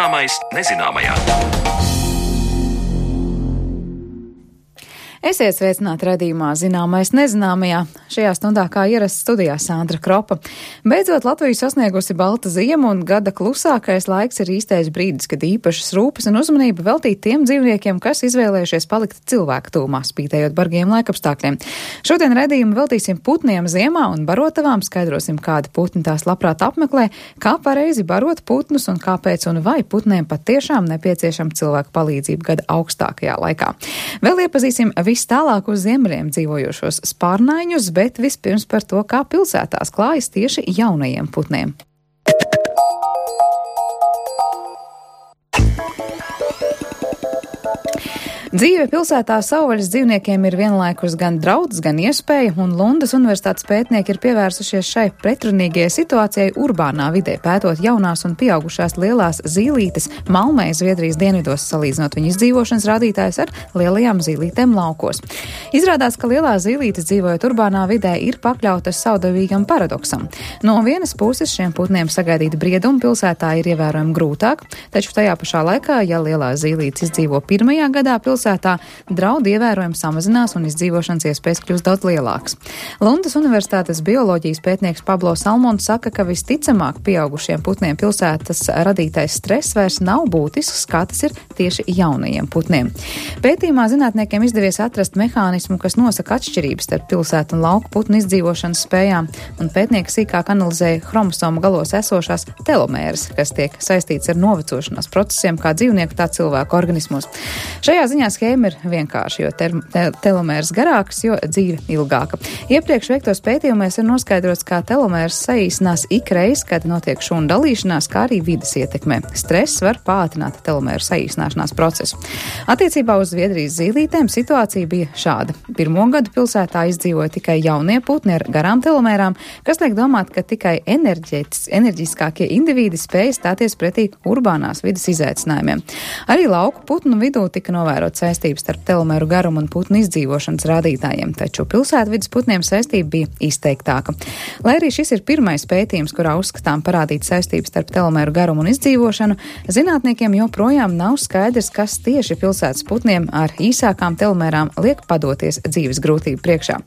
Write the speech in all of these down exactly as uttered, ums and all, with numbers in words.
Zināmais nezināmajā. Esiet sveicināti raidījumā Zināmais nezināmajā. Šajā stundā kā ierasts studijā Sandra Kropa. Beidzot Latviju sasniegusi balta ziema un gada klusākais laiks ir īstais brīdis, kad īpašas rūpes un uzmanība veltīt tiem dzīvniekiem, kas izvēlējušies palikt cilvēku tūmā, spītējot bargiem laikapstākļiem. Šodien raidījumu veltīsim putniem ziemā un barotavām, skaidrosim, kādi putni tās labprāt apmeklē, kā pareizi barot putnus un kāpēc un vai putniem patiešām nepieciešama cilvēku palīdzība gada augstākajā laikā. Vēl iepazīsim viss tālāk uz ziemeļiem dzīvojošos spārnaiņus, bet vispirms par to, kā pilsētās klājas tieši jaunajiem putniem. Dzīve pilsētā savvaļas dzīvniekiem ir vienlaikus gan draudz, gan iespēja, un Lundas universitātes pētnieki ir pievērsušies šai pretrunīgajai situācijai urbānā vidē, pētot jaunās un pieaugušās lielās zīlītes Malmē, Zviedrijas dienvidos, salīdzinot viņu izdzīvošanas rādītājus ar lielajām zīlītēm laukos. Izrādās, ka lielās zīlītes dzīvojot urbānā vidē ir pakļautas savdabīgam paradoksam. No vienas puses šiem putniem sagaidīt briedumu pilsētā ir ievērojami grūtāk, taču tajā pašā laikā, ja lielās zīlītes izdzīvo pirmajā gadā pilsētā, Pilsētā draudi ievērojami samazinās un izdzīvošanas iespējas kļūst daudz lielākas. Lundas universitātes bioloģijas pētnieks Pablo Salmons saka, ka visticamāk pieaugušiem putniem pilsētas radītais stress vairs nav būtisks, kā tas ir tieši jaunajiem putniem. Pētījumā zinātniekiem izdevies atrast mehānismu, kas nosaka atšķirības starp pilsētu un lauku putnu izdzīvošanas spējām, un pētnieki sīkāk analizēja chromosomu galos esošās telomēras, kas tiek saistīts ar novecošanās procesiem kā dzīvnieku, tā cilvēku organismos. Šajā ziņā schēma ir vienkārši, jo te te telomērs garāks, jo dzīve ilgāka. Iepriekš veiktos pētījumos ir noskaidrots, kā telomērs saīsinās ikreiz, kad notiek šūnu dalīšanās, kā arī vides ietekmē. Stress var pātrināt telomēru saīsināšanās procesu. Attiecībā uz Zviedrijas zīlītēm situācija bija šāda. Pirmo gadu pilsētā izdzīvoja tikai jaunie putni ar garām telomērām, kas liek domāt, ka tikai enerģiskākie indivīdi spēja stāties pretī urbānās vides izaicinājumiem. Arī lauku putnu vidū tika novērot saistības starp telomēru garumu un putnu izdzīvošanas rādītājiem, taču pilsētvides putniem saistība bija izteiktāka. Lai arī šis ir pirmais pētījums, kurā uzskatām parādīt saistības starp telomēru garumu un izdzīvošanu, zinātniekiem joprojām nav skaidrs, kas tieši pilsētas putniem ar īsākām telomērām liek padoties dzīves grūtību priekšā.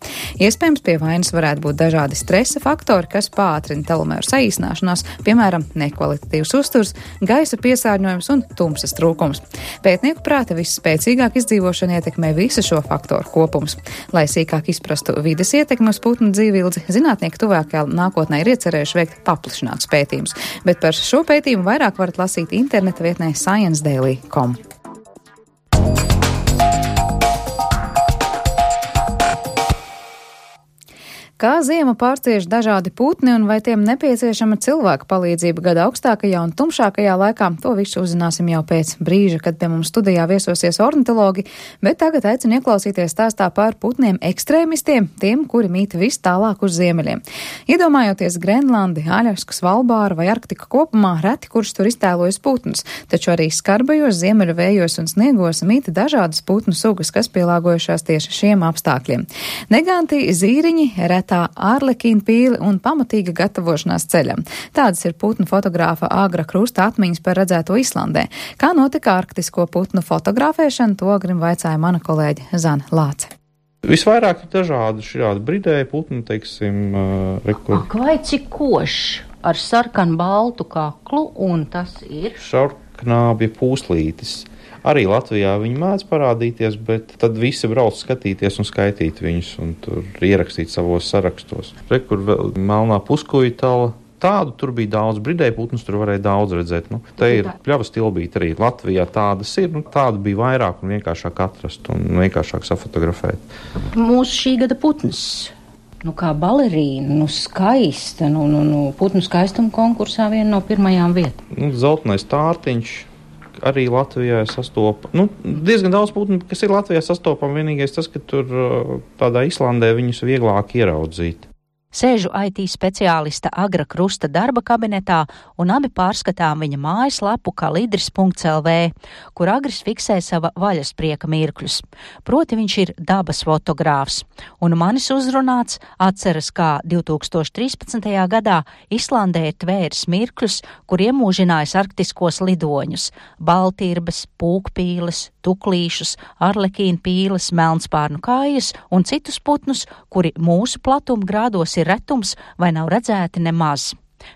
Iespējams, pie vainas varētu būt dažādi stresa faktori, kas pātrina telomēru saīsināšanās, piemēram, nekvalitatīvs uzturs, gaisa piesārņojums un tumsas trūkums. Pētnieku prāta visspēcīgāk izdzīvošana ietekmē visu šo faktoru kopums. Lai sīkāk izprastu vides ietekmi uz putnu dzīvildzi, zinātnieki tuvākajā nākotnē ir iecerējuši veikt paplašinātus pētījumus, bet par šo pētījumu vairāk varat lasīt interneta vietnē science daily dot com. Kā ziema pārcieš dažādi putni un vai tiem nepieciešama cilvēka palīdzība gada augstākajā un tumšākajā laikā, to visu uzzināsim jau pēc brīža, kad pie mums studijā viesosies ornitologi, bet tagad aicinu ieklausīties stāstā par putniem ekstrēmistiem, tiem, kuri mīt vis tālāk uz ziemeļiem. Iedomājoties Grenlandi, Aļasku, Svalbāru vai Arktiku kopumā, reti kurš tur iztēlojas putnus, taču arī skarbajos ziemeļu vējos un sniegos mīt dažādas putnu sugas, kas pielāgojušās tieši šiem apstākļiem. Neganti, zīriņi, reti tā ārlekīna pīli un pamatīga gatavošanās ceļam. Tādas ir putnu fotogrāfa Āgra Krusta atmiņas par redzēto Islandē. Kā notika arktisko putnu fotografēšana, to grim vaicāja mana kolēģe Zana Lāce. Visvairāk ir dažādi šādi bridēji putni, teiksim, uh, rekur... Ak, vai cik košs ar sarkanu baltu kaklu, un tas ir? Šarknābja pūslītis. Arī Latvijā viņi mēdz parādīties, bet tad visi brauc skatīties un skaitīt viņus un tur ierakstīt savos sarakstos. Re, kur vēl melnā puskujtala. Tādu tur bija daudz, bridēju putnus tur varēja daudz redzēt. Nu, te ir pļavas tilbīti arī Latvijā tādas ir, nu, tādu bija vairāk un vienkāršāk atrast un vienkāršāk safotografēt. Mūsu šī gada putns. Nu, kā balerīna, nu, skaista, nu, nu, nu putnu skaistuma konkursā viena no pirmajām vietām. Nu, zeltenais tārtiņš. Arī Latvijā sastopa, nu, diezgan daudz putnu, kas ir Latvijā sastopama, vienīgais tas, ka tur tādā Islandē viņus vieglāk ieraudzīt. Sēžu I T speciālista Agra Krusta darba kabinetā un abi pārskatām viņa mājaslapu kalidris punkts L V, kur Agris fiksē sava vaļasprieka mirkļus. Proti viņš ir dabas fotogrāfs. Un manis uzrunāts atceras, kā divtūkstoš trīspadsmitajā gadā Islandē ir tvēris mirkļus, kur iemūžinājis arktiskos lidoņus – baltirbes, pūkpīles, tuklīšus, arlekīnu pīles, melnspārnu kājas un citus putnus, kuri mūsu platuma grādos ir retums vai nav redzēti nemaz.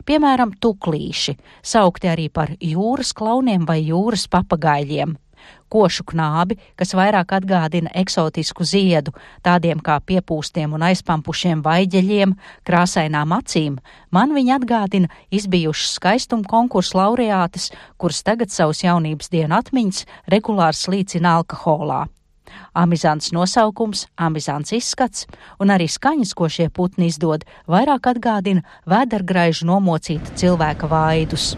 Piemēram, tuklīši, saukti arī par jūras klauniem vai jūras papagaļiem. Košu knābi, kas vairāk atgādina eksotisku ziedu, tādiem kā piepūstiem un aizpampušiem vaiģeļiem, krāsainām acīm, man viņi atgādina izbijušas skaistuma konkursu laureātes, kuras tagad savus jaunības dienu atmiņas regulāri slīcina alkoholā. Amizants nosaukums, amizants izskats un arī skaņas, ko šie putni izdod, vairāk atgādina vēdergraižu nomocīta cilvēka vaidus.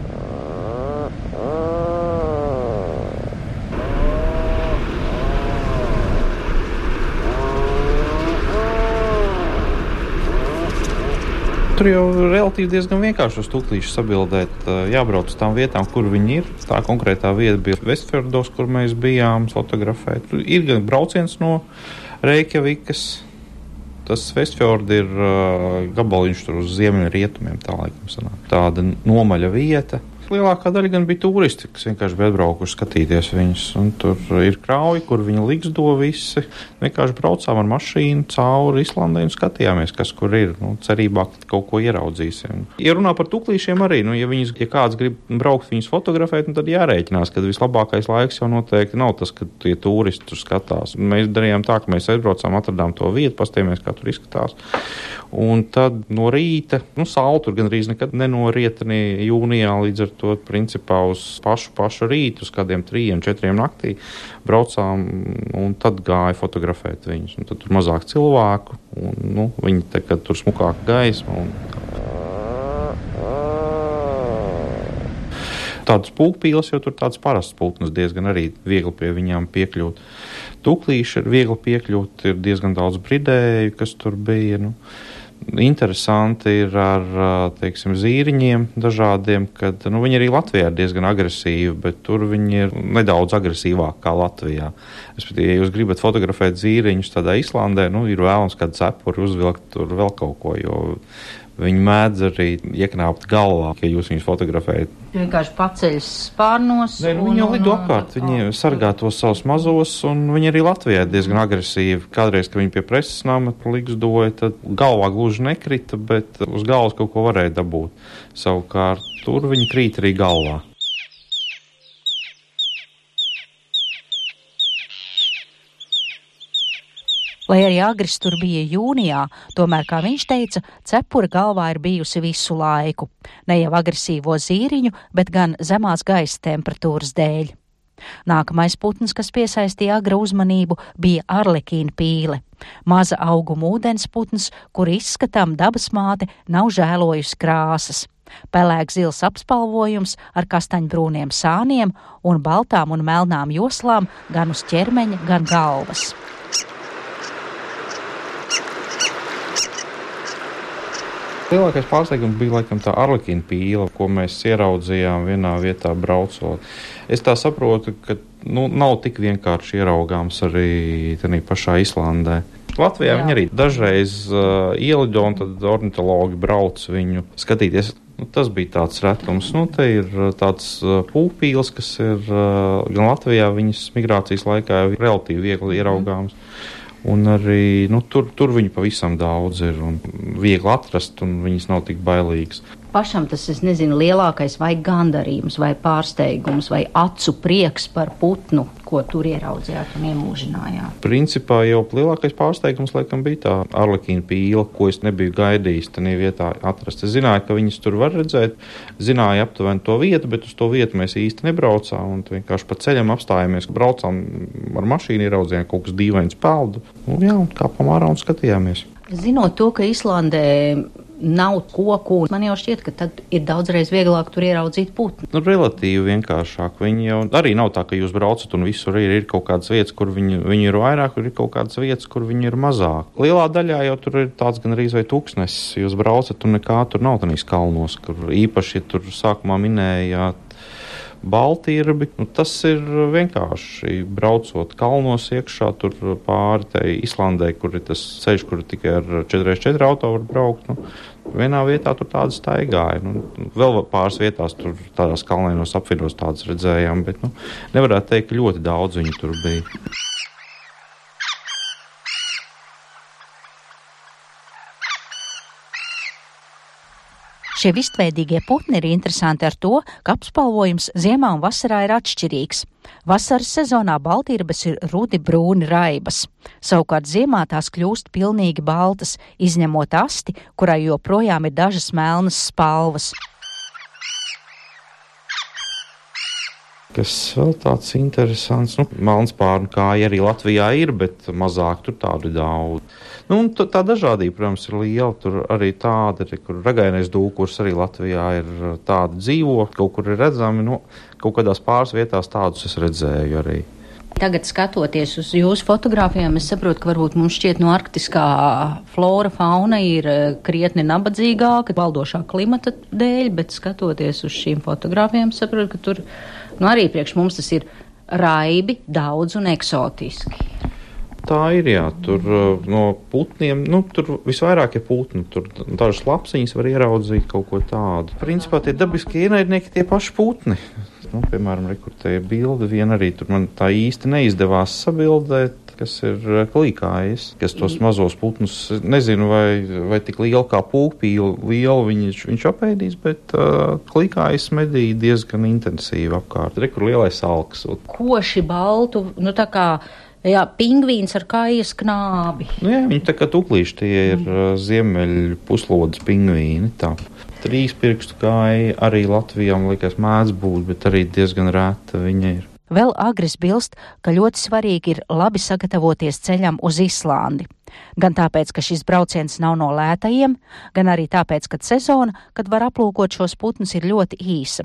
Tur jau relatīvi diezgan vienkārši uz tuklīšu sabildēt, jābrauc uz tām vietām, kur viņi ir. Tā konkrētā vieta bija Vestfjordos, kur mēs bijām fotografēt. Tur ir gan brauciens no Reikjavikas. Tas Vestfjordi ir uh, gabaliņš tur uz ziemeļu rietumiem, tā laikam sanāk. Tāda nomaļa vieta. Lielākā daļa gan bija turisti, kas vienkārši bija atbraukuši skatīties viņus. Un tur ir krauji, kur viņi ligzdo visi. Vienkārši braucām ar mašīnu cauri Islandai un skatījāmies, kas kur ir. Nu, cerībā, ka kaut ko ieraudzīsim. Ja runā par tuklīšiem arī, nu, ja, viņas, ja kāds grib braukt viņus fotografēt, nu, tad jārēķinās, ka vislabākais laiks jau noteikti nav tas, kad tie turisti tur skatās. Mēs darījām tā, ka mēs aizbraucām, atradām to vietu, pastījāmies, kā tur izskatās. Un tad no rīta, nu, saule tur gan arī nekad nenorieta ne jūnijā, līdz ar to principā uz pašu, pašu rītu, uz kādiem trījiem, četriem naktī braucām un tad gāja fotografēt viņus. Un tad tur mazāk cilvēku, un, nu, viņi te, kad tur smukāka gaisma. Un... Tādas pūkpīles, jo tur tāds parasts pulknes diezgan arī viegli pie viņām piekļūt. Tuklīši ir viegli piekļūt, ir diezgan daudz bridēju, kas tur bija, nu. Interesanti ir ar, teiksim, zīriņiem dažādiem, kad, nu, viņi arī Latvijā ir diezgan agresīvi, bet tur viņi ir nedaudz agresīvāk kā Latvijā. Respektīvi, ja jūs gribat fotografēt zīriņus tādā Islandē, nu, ir vēlams kādu cepuri uzvilkt tur vēl kaut ko, jo viņi mēdz arī ieknāpt galvā, ja jūs viņus fotografējat. Vienkārši paceļas spārnos. Nē, nu, viņi jau lido apkārt, viņi sargā tos savus mazos, un viņi arī Latvijā ir diezgan agresīvi. Kādreiz, kad viņi pie preses nama ligzdoja, tad galvā gluži nekrita, bet uz galvas kaut ko varēja dabūt. Savukārt, tur viņi krīt arī galvā. Lai arī Agris tur bija jūnijā, tomēr, kā viņš teica, cepura galvā ir bijusi visu laiku. Ne jau agresīvo zīriņu, bet gan zemās gaisa temperatūras dēļ. Nākamais putns, kas piesaistīja Agra uzmanību, bija arlekīna pīle. Maza auguma ūdens putns, kur izskatām dabas māte nav žēlojusi krāsas. Pelēks zils apspalvojums ar kastaņbrūniem sāniem un baltām un melnām joslām gan uz ķermeņa, gan galvas. Lielākais pārsteigums bija laikam tā arlekīna pīle, ko mēs ieraudzījām vienā vietā braucot. Es tā saprotu, ka nu, nav tik vienkārši ieraugāms arī tenī pašā Islandē. Latvijā Jā. Viņi arī dažreiz uh, ielido un tad ornitologi brauc viņu skatīties. Nu, tas bija tāds retums. Nu, te ir tāds uh, pūkpīles, kas ir uh, gan Latvijā viņas migrācijas laikā jau relatīvi viegli ieraugāms. Un arī nu, tur, tur viņu pavisam daudz ir un viegli atrast, un viņas nav tik bailīgas. Pašam tas, es nezinu, lielākais vai gandarījums, vai pārsteigums, vai acu prieks par putnu, ko tur ieraudzījāt un iemūžinājāt? Principā jau lielākais pārsteigums laikam bija tā arlekīna pīle, ko es nebiju gaidījis tajā vietā atrast. Es zināju, ka viņas tur var redzēt, zināju aptuveni to vietu, bet uz to vietu mēs īsti nebraucām un vienkārši pa ceļam apstājāmies, braucām ar mašīnu, ieraudzījām kaut kas dīvains peldu. Un jā, un kāpām ārā un skatījāmies. Zinot to, ka Islandē nav koku. Man jau šķiet, ka tad ir daudzreiz vieglāk tur ieraudzīt putnu. Nu, relatīvi vienkāršāk. Viņi jau arī nav tā, ka jūs braucat un visur ir, ir kaut kādas vietas, kur viņi, viņi ir vairāk, kur ir kaut kādas vietas, kur viņi ir mazāk. Lielā daļā jau tur ir tāds gan arī vai tūkstnesis. Jūs braucat un nekā tur nav tanīs kalnos, kur īpaši, ja tur sākumā minējāt Baltirbi, nu, tas ir vienkārši braucot kalnos iekšā, tur pāri tai Islandē, kur ir tas ceļš, kur tikai ar četri četri auto var braukt. Nu, vienā vietā tur tādas staigāja. Nu, vēl pāris vietās tur tādās kalnainos apvidos tādas redzējām, bet nu, nevarētu teikt, ka ļoti daudz viņu tur bija. Šie vistveidīgie putni ir interesanti ar to, ka apspalvojums ziemā un vasarā ir atšķirīgs. Vasaras sezonā baltīrbes ir rudi brūni raibas. Savukārt ziemā tās kļūst pilnīgi baltas, izņemot asti, kurai joprojām ir dažas melnas spalvas. Kas vēl tāds interesants, nu, melnspārnu kāja arī Latvijā ir, bet mazāk tur tādu daudz. Nu, un tā dažādība, protams, ir liela. Tur arī tāda, kur ragainais dūkurs arī Latvijā ir tāda dzīvo, kaut kur ir redzami, nu, kaut kādās pāris vietās tādus es redzēju arī. Tagad skatoties uz jūsu fotogrāfijām, es saprotu, ka varbūt mums šķiet no arktiskā flora, fauna ir krietni nabadzīgāka, valdošā klimata dēļ, bet skatoties uz šīm fotogrāfijām, es saprotu, ka tur, nu arī priekš mums tas ir raibi, daudz un eksotiski. Tā ir, jā, tur no putniem, nu, tur visvairāk ir putni, tur dažas lapsiņas var ieraudzīt kaut ko tādu. Principā tie dabiskie ienaidnieki tie paši putni. Nu, piemēram, rekurtēja bildi, viena arī tur man tā īsti neizdevās sabildēt, kas ir klīkājis, kas tos mazos putnus, nezinu, vai, vai tik liela kā pūpīla, liela viņš, viņš apēdīs, bet uh, klīkājis medīja diezgan intensīvi apkārt. Rekur lielais alks. Koši baltu, nu tā kā jā, pingvīns ar kājas knābi. Nu, jā, viņi tā kā tuklīši, tie ir mm. ziemeļu puslodes pingvīni. Tā. Trīs pirkstu kāja arī Latvijā, man liekas, mēdz būt, bet arī diezgan rēta viņa ir. Vēl Agris bilst, ka ļoti svarīgi ir labi sagatavoties ceļam uz Islandi. Gan tāpēc, ka šis brauciens nav no lētajiem, gan arī tāpēc, ka sezona, kad var aplūkot šos putnus, ir ļoti īsa.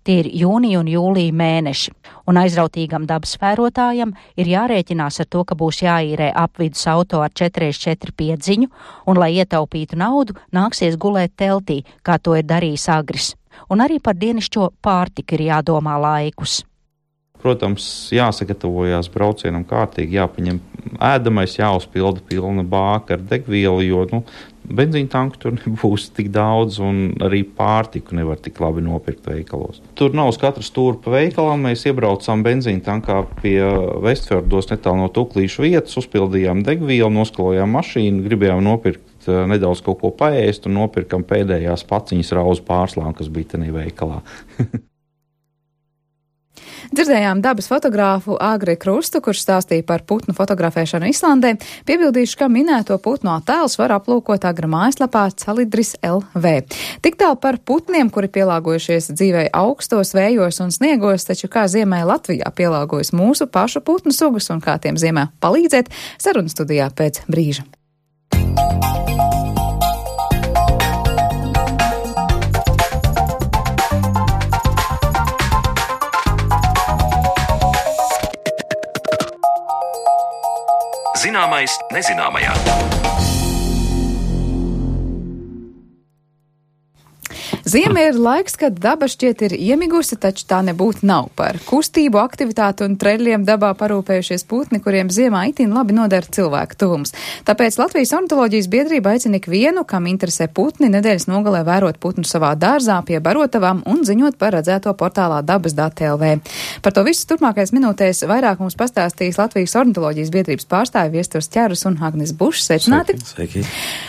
Tie ir jūnija un jūlija mēneši, un aizrautīgam dabas vērotājam ir jārēķinās ar to, ka būs jāīrē apvidus auto ar četri četri piedziņu, un, lai ietaupītu naudu, nāksies gulēt teltī, kā to ir darījis Agris. Un arī par dienišķo pārtiku ir jādomā laikus. Protams, jāsagatavojās braucienam kārtīgi, jāpaņem ēdamais, jāuzpilda pilna bāka ar degvielu, jo, nu, benzīna tanku tur nebūs tik daudz un arī pārtiku nevar tik labi nopirkt veikalos. Tur nav uz katra stūra pa veikalam, mēs iebraucām benzīna tankā pie Vestfjordos netālu no Tuklīšu vietas, uzpildījām degvielu, noskalojām mašīnu, gribējām nopirkt nedaudz kaut ko paēst un nopirkam pēdējās paciņas rauzu pārslām, kas bija tenī veikalā. Dzirdējām dabas fotogrāfu Agri Krustu, kurš stāstīja par putnu fotografēšanu Islandē. Piebildīšu, ka minēto putnu attēlus var aplūkot Agra mājaslapā Calidris L V. Tik tālu par putniem, kuri pielāgojušies dzīvei augstos, vējos un sniegos, taču kā ziemē Latvijā pielāgojas mūsu pašu putnu sugas un kā tiem ziemē palīdzēt, sarunu studijā pēc brīža. Zināmais nezināmajā. Ziema ir laiks, kad daba šķiet ir iemigusi, taču tā nebūtu nav. Par kustību, aktivitātu un treļļiem dabā parūpējušies putni, kuriem ziemā itin labi nodara cilvēku tuvums. Tāpēc Latvijas ornitoloģijas biedrība aicina ikvienu, kam interesē putni, nedēļas nogalē vērot putnu savā dārzā pie barotavām un ziņot par redzēto portālā dabas dati L V. Par to visu turpmākais minūtēs vairāk mums pastāstīs Latvijas ornitoloģijas biedrības pārstāvi Viesturs Ķerus un Agnes Bušs. Sveicināti! Sveiki!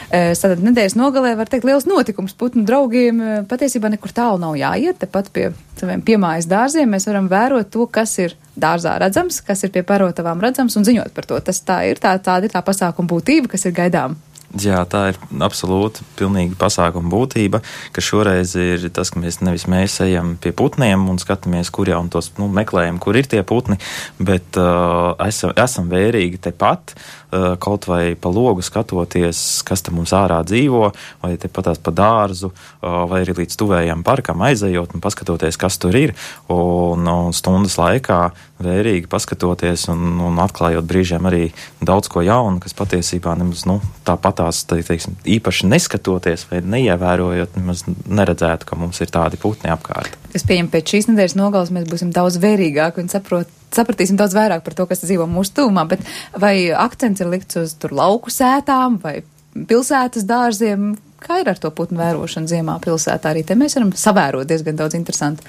Tātad nedēļas nogalē var teikt liels notikums putnu draugiem. Patiesībā nekur tālu nav jāiet, tepat pie saviem piemājas dārziem mēs varam vērot to, kas ir dārzā redzams, kas ir pie barotavām redzams un ziņot par to. Tas tā ir, tā, tāda ir tā pasākuma būtība, kas ir gaidām Jā, tā ir absolūti pilnīgi pasākuma būtība, ka šoreiz ir tas, ka mēs nevis mēs ejam pie putniem un skatāmies, kur jau un tos nu, meklējam, kur ir tie putni, bet uh, esam, esam vērīgi tepat, uh, kaut vai pa logu skatoties, kas te mums ārā dzīvo, vai tepatās pa dārzu, uh, vai arī līdz tuvējam parkam aizejot un paskatoties, kas tur ir, un, un stundas laikā vērīgi paskatoties un, un atklājot brīžiem arī daudz ko jaunu, kas patiesībā nemaz, nu, tāpat tās, teiksim, īpaši neskatoties vai neievērojot, nemaz neredzētu, ka mums ir tādi putni apkārt. Es pieņemu, pēc šīs nedēļas nogalas mēs būsim daudz vērīgāki un saprot, sapratīsim daudz vairāk par to, kas dzīvo mūsu tuvumā, bet vai akcents ir likts uz tur lauku sētām vai pilsētas dārziem? Kā ir ar to putnu vērošanu ziemā pilsētā? Arī te mēs varam savērot diezgan daudz interesanti.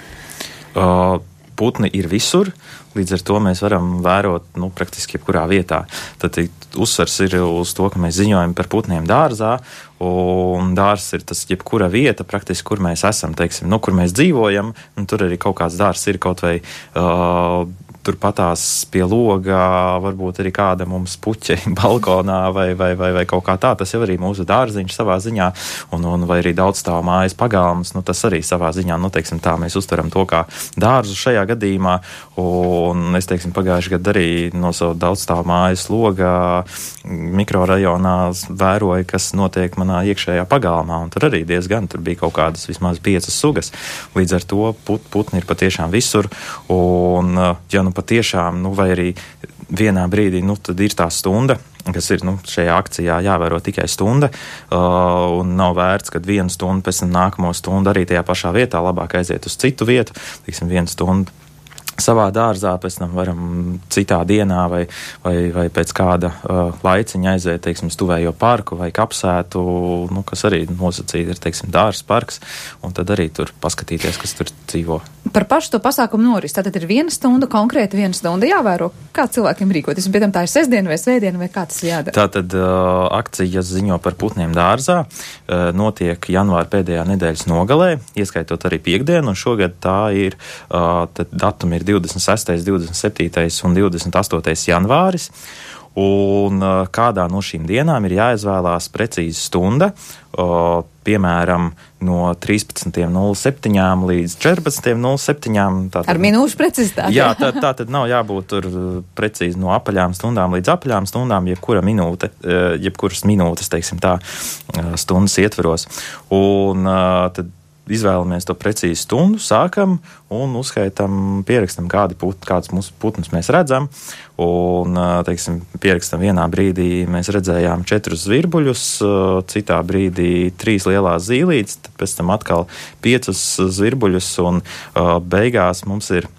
Uh, Putni ir visur, līdz ar to mēs varam vērot, nu, praktiski jebkurā vietā. Tad uzsvars ir uz to, ka mēs ziņojam par putniem dārzā, un dārzs ir tas jebkura vieta, praktiski, kur mēs esam, teiksim, nu, kur mēs dzīvojam, un tur arī kaut kāds dārzs ir kaut vai uh, turpatās pie logā, varbūt arī kāda mums puķe balkonā vai, vai, vai, vai kaut kā tā. Tas jau arī mūsu dārziņš savā ziņā, un, un vai arī daudzstāvu mājas pagalms, nu tas arī savā ziņā, nu teiksim tā, mēs uztveram to kā dārzu šajā gadījumā, un es teiksim pagājuši gadu arī no savu daudzstāvu mājas logā mikrorajonā vēroju, kas notiek manā iekšējā pagalmā, un tur arī diezgan, tur bija kaut kādas vismaz piecas sugas. Līdz ar to put, putni ir patiešām visur, un ja nu patiešām, nu vai arī vienā brīdī, nu tad ir tā stunda, kas ir, nu, šajā akcijā jāvēro tikai stunda, uh, un nav vērts, kad vienu stundu, pēc tam nākamo stundu arī tajā pašā vietā, labāk aiziet uz citu vietu, tiksim, vienu stundu savā dārzā, pēc tam varam citā dienā vai, vai, vai pēc kāda uh, laiciņa aiziet, teiksim, stuvējo parku vai kapsētu, nu, kas arī nosacīti ir, teiksim, dārzs parks, un tad arī tur paskatīties, kas tur dzīvo. Par pašu to pasākumu noris, tātad ir viena stunda, konkrēti viena stunda jāvēro, kā cilvēkiem rīkoties, bet tā ir sestdiena vai svētdiena vai kā tas jādara? Tātad uh, akcijas ziņo par putniem dārzā, uh, notiek janvāra pēdējā nedēļas nogalē, ieskaitot arī piekdienu, un šogad tā ir, uh, tad datumi ir divdesmit sestais, divdesmit septītais un divdesmit astotais janvāris, un uh, kādā no šīm dienām ir jāizvēlās precīzi stunda, uh, piemēram, no trīspadsmit nulle septiņi līdz četrpadsmit nulle septiņi. Ar minūšu precizitāti. Jā, tā, tā tad nav jābūt tur precīzi no apaļām stundām līdz apaļām stundām, jebkura minūte, jebkuras minūtes, teiksim tā, stundas ietveros. Un tad izvēlamies to precīzi stundu, sākam un uzskaitam, pierakstam, kādi put, kāds mūsu putnus mēs redzam. Un, teiksim, pierakstam vienā brīdī mēs redzējām četrus zvirbuļus, citā brīdī trīs lielās zīlītes, tad pēc tam atkal piecus zvirbuļus, un beigās mums ir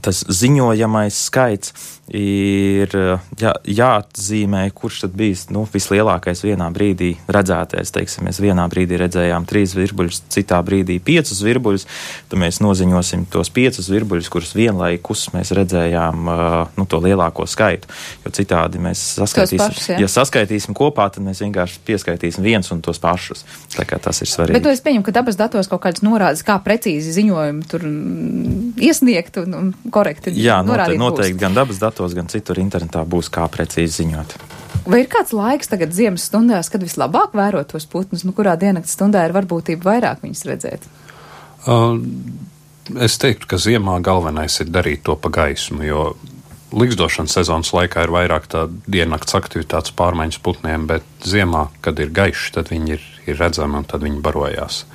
tas ziņojamais skaits ir jā, jāatzīmē, kurš tad bijis, nu, vislielākais vienā brīdī redzētais. Teiksim, mēs vienā brīdī redzējām trīs zvirbuļus, citā brīdī piecus zvirbuļus, tad mēs noziņosim tos piecus zvirbuļus, kurus vienlaikus mēs redzējām, nu, to lielāko skaitu. Jo citādi mēs saskaitīsim, pašus, ja? ja saskaitīsim kopā, tad mēs vienkārši pieskaitīsim viens un tos pašus. Tā kā tas ir svarīgi. Bet to es pieņemu, ka dabas datos kaut kādas norādes, kā precīzi ziņojumi tur iesniegt un, un korekti Jā, norādīt noteikti, noteikti būs. gan dabas datos, gan citur internetā būs kā precīzi ziņot. Vai ir kāds laiks tagad ziemas stundās, kad vislabāk vērot tos putnus, nu kurā diennakts stundā ir varbūtība vairāk viņus redzēt? Uh, es teiktu, ka ziemā galvenais ir darīt to pa gaismu, jo ligzdošanas sezonas laikā ir vairāk tā diennakts aktivitātes pārmaiņas putniem, bet ziemā, kad ir gaišs, tad viņi ir, ir redzami un tad viņi barojās.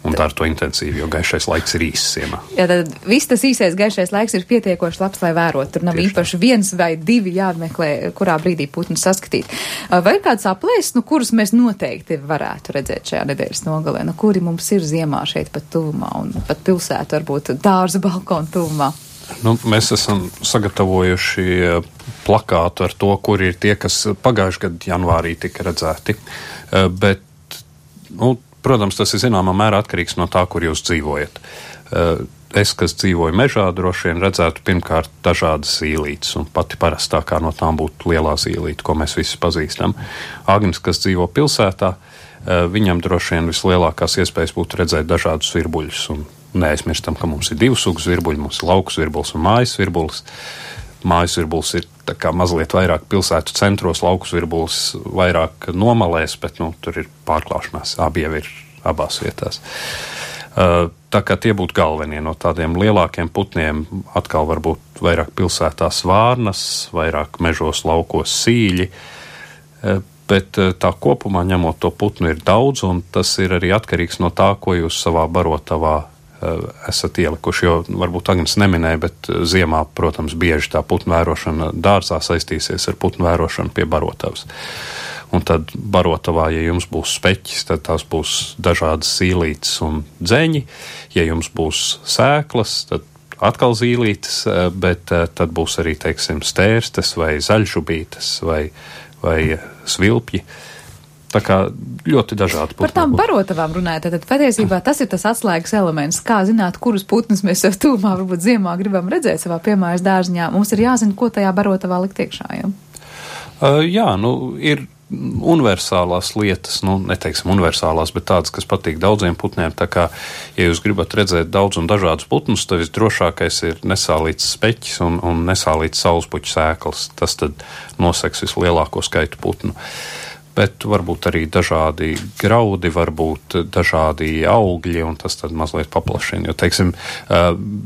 Un tā ar to intensīvi, jo gaišais laiks ir īss ziemā. Jā, tad viss tas īsais gaišais laiks ir pietiekoši labs, lai vērot. Tur nav Tieši īpaši tā. viens vai divi jāmeklē, kurā brīdī putnus saskatīt. Vai ir kāds aplēs, nu, kurus mēs noteikti varētu redzēt šajā nedēļas nogalē? Nu, kuri mums ir ziemā šeit pat tuvumā un pat pilsētu, varbūt dārza balkonu tuvumā? Nu, mēs esam sagatavojuši plakātu ar to, kur ir tie, kas pagājuši gadu janvārī tika redzēti. Bet, nu, protams, tas ir zināmā mērā atkarīgs no tā, kur jūs dzīvojat. Es, kas dzīvoju mežā, droši vien redzētu pirmkārt dažādas zīlītes, un pati parastākā no tām būtu lielā zīlīte, ko mēs visi pazīstam. Agnis, kas dzīvo pilsētā, viņam droši vien vislielākās iespējas būtu redzēt dažādus virbuļus, un neaizmirstam, ka mums ir divu sugu virbuļi, mums ir lauku virbulis un mājas virbulis. mājas virbulis ir tā kā mazliet vairāk pilsētu centros, laukus virbulis vairāk nomalēs, bet, nu, tur ir pārklāšanās, abi jau ir abās vietās. Uh, tā kā tie būtu galvenie no tādiem lielākiem putniem, atkal varbūt vairāk pilsētās vārnas, vairāk mežos, laukos sīļi, uh, bet uh, tā kopumā ņemot to putnu ir daudz, un tas ir arī atkarīgs no tā, ko jūs savā barotavā esat ielikuši, jo varbūt Agnes neminēja, bet ziemā, protams, bieži tā putnu vērošana dārzā saistīsies ar putnu vērošanu pie barotavas. Un tad barotavā, ja jums būs speķis, tad tās būs dažādas zīlītes un dzeņi. Ja jums būs sēklas, tad atkal zīlītes, bet tad būs arī, teiksim, stērstes vai zaļžubītes vai, vai svilpji. Tā kā ļoti dažādi putni. Par tām barotavām runājot, tad patiesībā tas ir tas atslēgas elements. Kā zināt, kurus putnus mēs sev tūmā, varbūt ziemā gribam redzēt savā piemājas dārziņā. Mums ir jāzina, ko tajā barotavā likt iekšā, jau? Uh, jā, nu, ir universālās lietas, nu, neteiksim universālās, bet tādas, kas patīk daudziem putniem. Tā kā, ja jūs gribat redzēt daudz un dažādus putnus, tad visdrošākais ir nesālīts speķis un, un nesālīts saulespuķu sēklas. Tas tad noseks vislielāko skaitu putnu. Bet varbūt arī dažādi graudi, varbūt dažādi augļi, un tas tad mazliet paplašina. Jo, teiksim,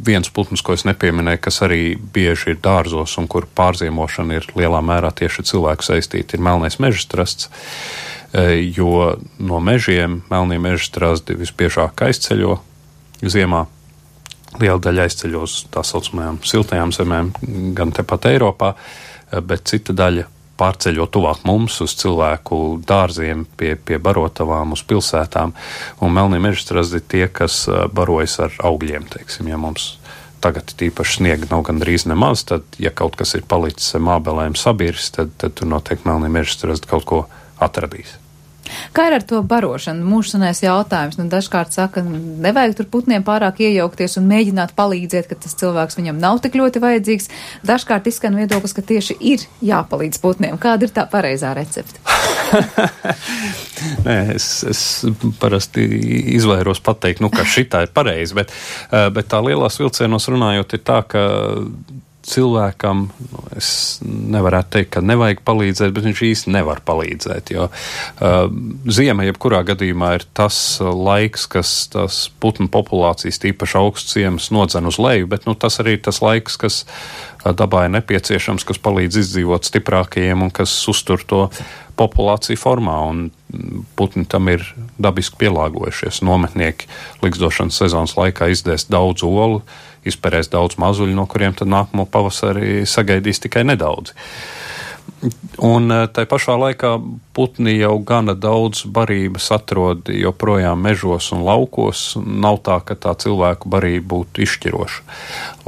viens putns, ko es nepieminēju, kas arī bieži ir dārzos un kur pārziemošana ir lielā mērā tieši cilvēku saistīta, ir melnais mežstrasds, jo no mežiem melnie mežstrasdi visbiežāk aizceļo ziemā. Liela daļa aizceļo uz tā saucamajām siltajām zemēm, gan tepat Eiropā, bet cita daļa pārceļot tuvāk mums uz cilvēku dārziem, pie, pie barotavām, uz pilsētām, un melnie mežstrasdi tie, kas barojas ar augļiem, teiksim, ja mums tagad tīpaši sniega nav gandrīz nemaz, tad, ja kaut kas ir palicis mābelēm sabirs, tad, tad tur noteikti melnie mežstrasdi kaut ko atradīs. Kā ir ar to barošanu? Mūžsanais jautājums. Nu, dažkārt saka, nevajag tur putniem pārāk iejaukties un mēģināt palīdzēt, ka tas cilvēks viņam nav tik ļoti vajadzīgs. Dažkārt izskan viedoklis, ka tieši ir jāpalīdz putniem. Kāda ir tā pareizā recepte? Nē, es, es parasti izvairos pateikt, nu, ka šitā ir pareizi, bet, bet tā lielās vilcienos runājot ir tā, ka cilvēkam, nu, es nevarētu teikt, ka nevajag palīdzēt, bet viņš īsti nevar palīdzēt, jo uh, ziema jebkurā gadījumā ir tas laiks, kas tās putnu populācijas tīpaši augsts ciemas nodzen uz leju, bet nu, tas arī ir tas laiks, kas uh, dabā ir nepieciešams, kas palīdz izdzīvot stiprākajiem un kas uztur to populāciju formā, un putni tam ir dabiski pielāgojušies. Nometnieki likstošanas sezonas laikā izdēs daudz olu, izperēs daudz mazuļu, no kuriem tad nākamo pavasarī sagaidīs tikai nedaudz. Un tai pašā laikā putni jau gana daudz barības atrod joprojām mežos un laukos. Nav tā, ka tā cilvēku barība būtu izšķiroša.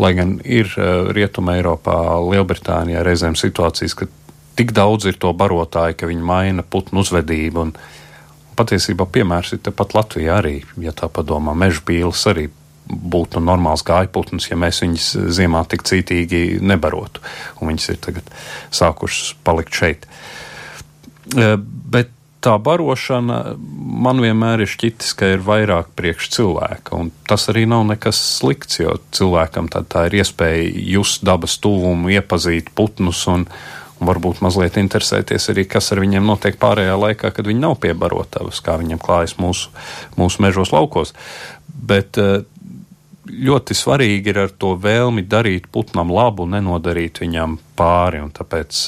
Lai gan ir Rietuma Eiropā, Lielbritānijā reizēm situācijas, ka tik daudz ir to barotāju, ka viņi maina putnu uzvedību. Un patiesībā piemērs ir tepat Latvijā arī, ja tā padomā, mežbīles arī būtu normāls gājputns, ja mēs viņus ziemā tik cītīgi nebarotu. Un viņas ir tagad sākušas palikt šeit. Bet tā barošana man vienmēr ir šķitis, ka ir vairāk priekš cilvēka. Un tas arī nav nekas slikts, jo cilvēkam tā, tā ir iespēja just dabas tuvumu, iepazīt putnus un, un varbūt mazliet interesēties arī, kas ar viņiem notiek pārējā laikā, kad viņi nav pie barotavas, kā viņiem klājas mūsu, mūsu mežos laukos. Bet ļoti svarīgi ir ar to vēlmi darīt putnam labu, nenodarīt viņam pāri, un tāpēc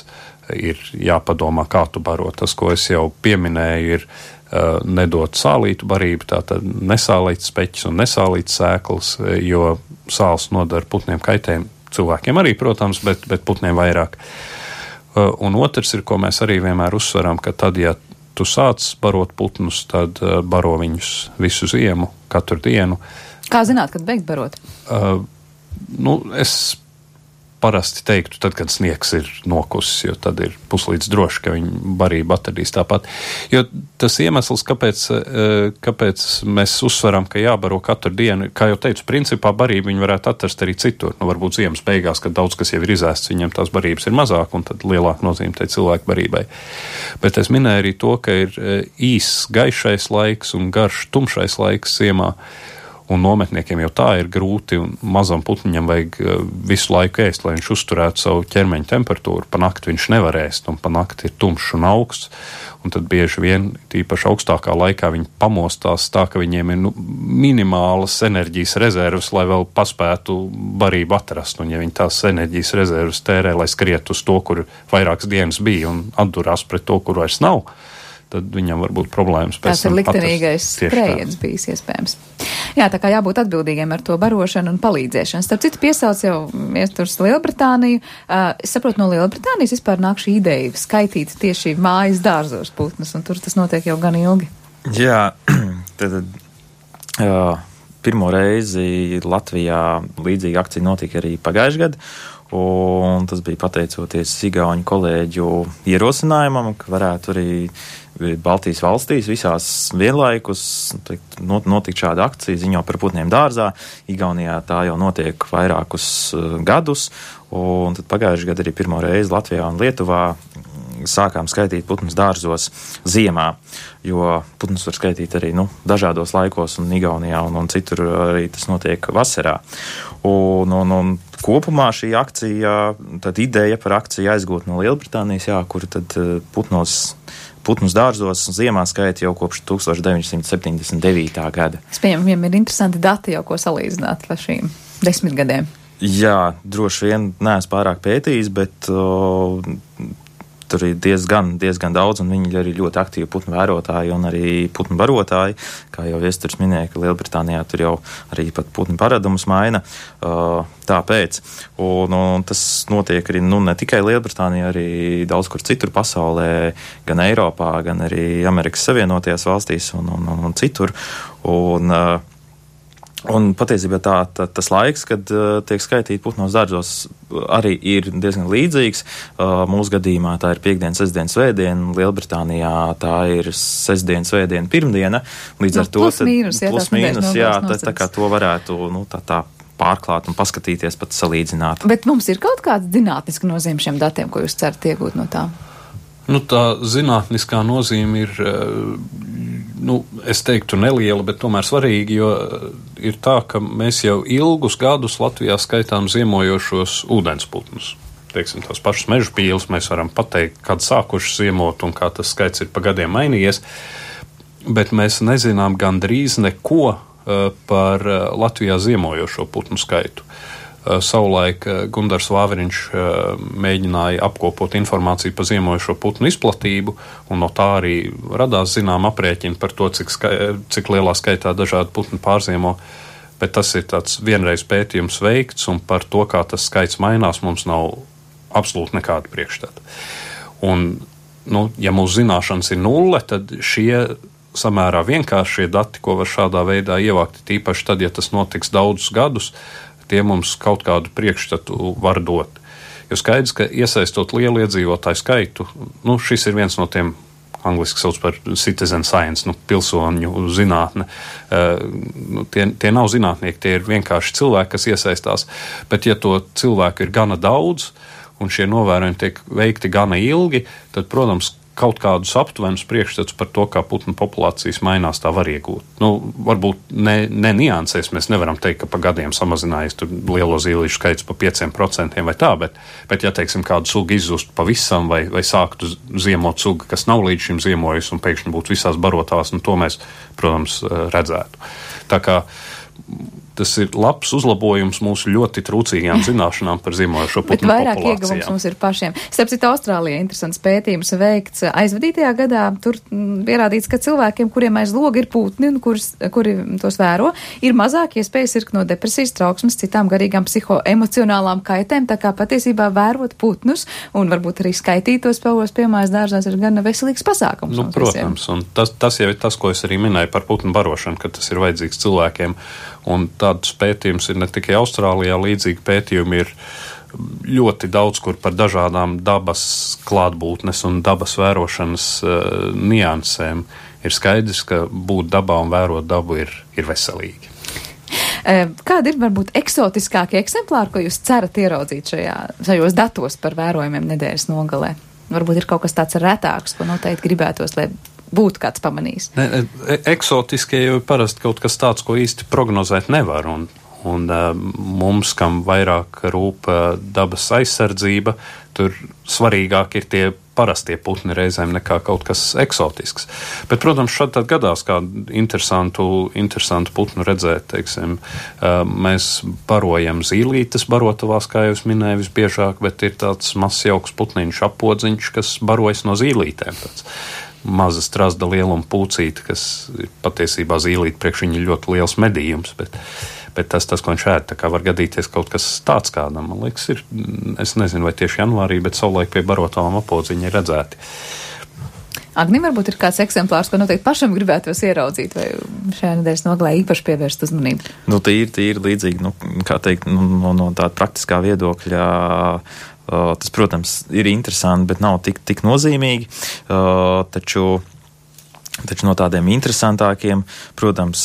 ir jāpadomā, kā tu baro. Tas, ko es jau pieminēju, ir uh, nedot sālītu barību, tātad nesālīts speķis un nesālīts sēklas, jo sāls nodara putniem kaitējumu. Cilvēkiem arī, protams, bet, bet putniem vairāk. Uh, un otrs ir, ko mēs arī vienmēr uzsveram, ka tad, ja tu sāc barot putnus, tad uh, baro viņus visu ziemu, katru dienu. Kā zināt, kad beigt barot? Uh, nu, es parasti teiktu, tad, kad sniegs ir nokusis, jo tad ir puslīdz droši, ka viņi barību atradīs tāpat. Jo tas iemesls, kāpēc, kāpēc mēs uzsveram, ka jābaro katru dienu, kā jau teicu, principā barību viņi varētu atrast arī citur. Nu, varbūt ziemas beigās, kad daudz kas jau ir izēsts, viņam tās barības ir mazāk, un tad lielāka nozīme tai cilvēku barībai. Bet es minēju arī to, ka ir īss gaišais laiks un garš tumšais laiks ziemā. Un nometniekiem jau tā ir grūti, un mazam putniņam vajag visu laiku ēst, lai viņš uzturētu savu ķermeņa temperatūru. Pa nakti viņš nevar ēst, un pa nakti ir tumšs un augsts. Un tad bieži vien, tīpaši augstākā laikā, viņi pamostās tā, ka viņiem ir nu, minimālas enerģijas rezerves, lai vēl paspētu barību atrast. Un ja viņi tās enerģijas rezerves tērē, lai skriet uz to, kur vairākas dienas bija, un atdurās pret to, kur vairs nav, tad viņam var būt problēmas. Tas ir liktenīgais skrējiens bijis iespējams. Jā, tā kā jābūt atbildīgiem ar to barošanu un palīdzēšanu. Starp citu piesauc jau iesturs Lielbritāniju. Uh, es saprotu, no Lielbritānijas vispār nāk šī ideja skaitīt tieši mājas dārzos putnus, un tur tas notiek jau gan ilgi. Jā, tad jā, pirmo reizi Latvijā līdzīga akcija notika arī pagājušajā gadā. Un tas bija pateicoties igauņu kolēģu ierosinājumam, ka varētu arī Baltijas valstīs visās vienlaikus notikt šāda akcija ziņo par putniem dārzā. Igaunijā tā jau notiek vairākus gadus, un tad pagājušajā gadā arī pirmo reizi Latvijā un Lietuvā sākām skaitīt putnus dārzos ziemā, jo putnus var skaitīt arī nu, dažādos laikos, un Igaunijā un, un citur arī tas notiek vasarā. Un, un, un kopumā šī akcija, tad ideja par akciju aizgūt no Lielbritānijas, jā, kur tad putnos Putnus dārzos ziemā skaita jau kopš tūkstoš deviņsimt septiņdesmit devītā gada. Es pieņemu, viņiem ir interesanti dati jau, ko salīdzināt ar šīm desmit gadiem. Jā, droši vien neesmu pārāk pētījis, bet o, tur ir diezgan, diezgan daudz, un viņi ir arī ļoti aktīvi putnu vērotāji un arī putnu barotāji. Kā jau Viesturs minēja, ka Lielbritānijā tur jau arī pat putnu paradumus maina. Uh, tāpēc. Un, un tas notiek arī nu, ne tikai Lielbritānijā, arī daudz kur citur pasaulē, gan Eiropā, gan arī Amerikas Savienotajās valstīs un, un, un, un citur. Un, uh, Un patiesībā tā, tā, tas laiks, kad uh, tiek skaitīti putnos dārzos, arī ir diezgan līdzīgs. Uh, mūsu gadījumā tā ir piekdiena, sestdiena, svētdiena, Lielbritānijā tā ir sestdiena, svētdiena, pirmdiena. Līdz no, ar to plus mīnus, jā, plus mīnus, jā, tā, tā kā to varētu nu, tā, tā pārklāt un paskatīties, pat salīdzināt. Bet mums ir kaut kāda zinātniska nozīme šiem datiem, ko jūs cerat iegūt no tā? Nu, tā zinātniskā nozīme ir, nu, es teiktu neliela, bet tomēr svarīga, jo ir tā, ka mēs jau ilgus gadus Latvijā skaitām ziemojošos ūdensputnus. Teiksim, tās pašas mežpīles mēs varam pateikt, kad sākuši ziemot un kā tas skaits ir pa gadiem mainījies, bet mēs nezinām gandrīz neko par Latvijā ziemojošo putnu skaitu. Savulaik Gundars Vāveriņš mēģināja apkopot informāciju par ziemojošo putnu izplatību, un no tā arī radās zinām aprēķini par to, cik, skai, cik lielā skaitā dažādi putni pārziemo, bet tas ir tāds vienreiz pētījums veikts, un par to, kā tas skaits mainās, mums nav absolūti nekāda priekšstata. Un, nu, ja mūsu zināšanas ir nulle, tad šie samērā vienkāršie dati, ko var šādā veidā ievākt, tīpaši tad, ja tas notiks daudzus gadus, tie mums kaut kādu priekšstatu var dot. Jo skaidrs, ka iesaistot lielu iedzīvotāju skaitu, nu, šis ir viens no tiem, angliski sauc par citizen science, nu, pilsoņu zinātne. Uh, nu, tie, tie nav zinātnieki, tie ir vienkārši cilvēki, kas iesaistās, bet ja to cilvēku ir gana daudz, un šie novērojumi tiek veikti gana ilgi, tad, protams, kaut kādus aptuvenus priekšstats par to, kā putnu populācijas mainās, tā var iegūt. Nu, varbūt ne, ne niansēs, mēs nevaram teikt, ka pa gadiem samazinājies tur lielo zīlīšu skaits pa pieciem procentiem vai tā, bet, bet ja, teiksim, kādu sugu izzustu pavisam vai, vai sāktu ziemot sugu, kas nav līdz šim ziemojusi un pēkšņi būtu visās barotās, nu, to mēs, protams, redzētu. Tā kā tas ir labs uzlabojums mūsu ļoti trūcīgajām zināšanām par ziemojošo putnu populācijām. Bet vairāk ieguvums mums ir pašiem. Starp citu, Austrālijā interesants pētījums veikts aizvadītajā gadā. Tur pierādīts, ka cilvēkiem, kuriem aiz loga ir putni un kuris, kuri tos vēro, ir mazāk iespējas sirgt no depresijas, trauksmes, citām garīgām psihoemocionālām kaitēm. Tā kā patiesībā vērot putnus un varbūt arī skaitītos pavos piemājas dārzās ir gan veselīgs pasākums. Nu, protams, visiem. Un tas, tas jau ir tas, ko es arī minēju par putnu barošanu, ka tas ir vajadzīgs cilvēkiem. Un tādus pētījumus ir ne tikai Austrālijā, līdzīgi pētījumi ir ļoti daudz kur par dažādām dabas klātbūtnes un dabas vērošanas uh, niansēm. Ir skaidrs, ka būt dabā un vērot dabu ir, ir veselīgi. Kādi ir varbūt eksotiskākie eksemplāri, ko jūs cerat ieraudzīt šajā, šajos datos par vērojumiem nedēļas nogalē? Varbūt ir kaut kas tāds retāks, ko noteikti gribētos, lai būtu kāds pamanījis? Ne, eksotiskie jau parasti kaut kas tāds, ko īsti prognozēt nevar, un, un uh, mums, kam vairāk rūp uh, dabas aizsardzība, tur svarīgāk ir tie parastie putni reizēm nekā kaut kas eksotisks. Bet, protams, šad tad gadās kādu interesantu, interesantu putnu redzēt, teiksim, uh, mēs barojam zīlītes barotavās, kā jau es minēju, visbiežāk, bet ir tāds mazs jauks putniņš apodziņš, kas barojas no zīlītēm. Tāds maza strazda lieluma pūcīte, kas ir patiesībā zīlīte, priekš viņa ļoti liels medījums, bet Bet tas, tas, ko viņš ēd, tā kā var gadīties kaut kas tāds kādam, man liekas, ir, es nezinu, vai tieši janvārī, bet savulaik pie barotavām apodziņi ir redzēti. Agni, varbūt ir kāds eksemplārs, ko noteikti pašam gribētu jūs ieraudzīt, vai šajā nedēļas nogalē īpaši pievērst uzmanību? Nu, tīri, tīri līdzīgi, nu, kā teikt, nu, no, no tāda praktiskā viedokļa, uh, tas, protams, ir interesanti, bet nav tik, tik nozīmīgi, uh, taču Taču no tādiem interesantākiem, protams,